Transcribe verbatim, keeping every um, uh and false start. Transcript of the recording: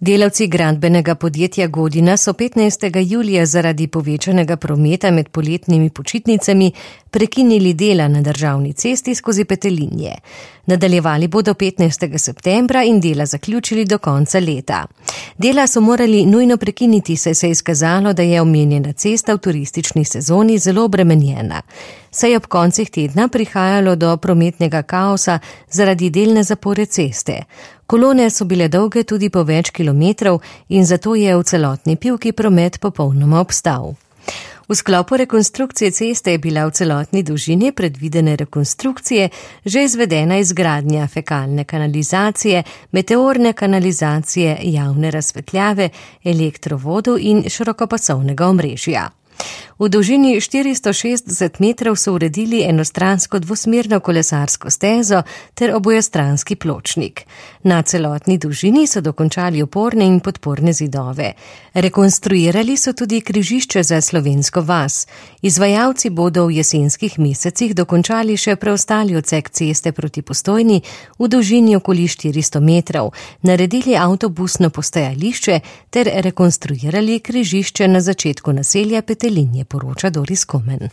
Delavci gradbenega podjetja Godina so petnajstega julija zaradi povečanega prometa med poletnimi počitnicami prekinili dela na državni cesti skozi Petelinje. Nadaljevali bodo petnajstega septembra in dela zaključili do konca leta. Dela so morali nujno prekiniti, saj se je izkazalo, da je omenjena cesta v turistični sezoni zelo obremenjena. Saj je ob koncih tedna prihajalo do prometnega kaosa zaradi delne zapore ceste. Kolone so bile dolge tudi po več kilometrov in zato je v celotni Pivki promet popolnoma obstal. V sklopu rekonstrukcije ceste je bila v celotni dolžini predvidene rekonstrukcije že izvedena izgradnja fekalne kanalizacije, meteorne kanalizacije, javne razsvetljave, elektrovodu in širokopasovnega omrežja. V dolžini štiristo šestdeset metrov so uredili enostransko dvosmerno kolesarsko stezo ter obojestranski pločnik. Na celotni dolžini so dokončali oporne in podporne zidove. Rekonstruirali so tudi križišče za Slovensko vas. Izvajalci bodo v jesenskih mesecih dokončali še preostali odsek ceste proti Postojni v dolžini okoli štiristo metrov, naredili avtobusno postajališče ter rekonstruirali križišče na začetku naselja Petelinje, poroča Doris Komen.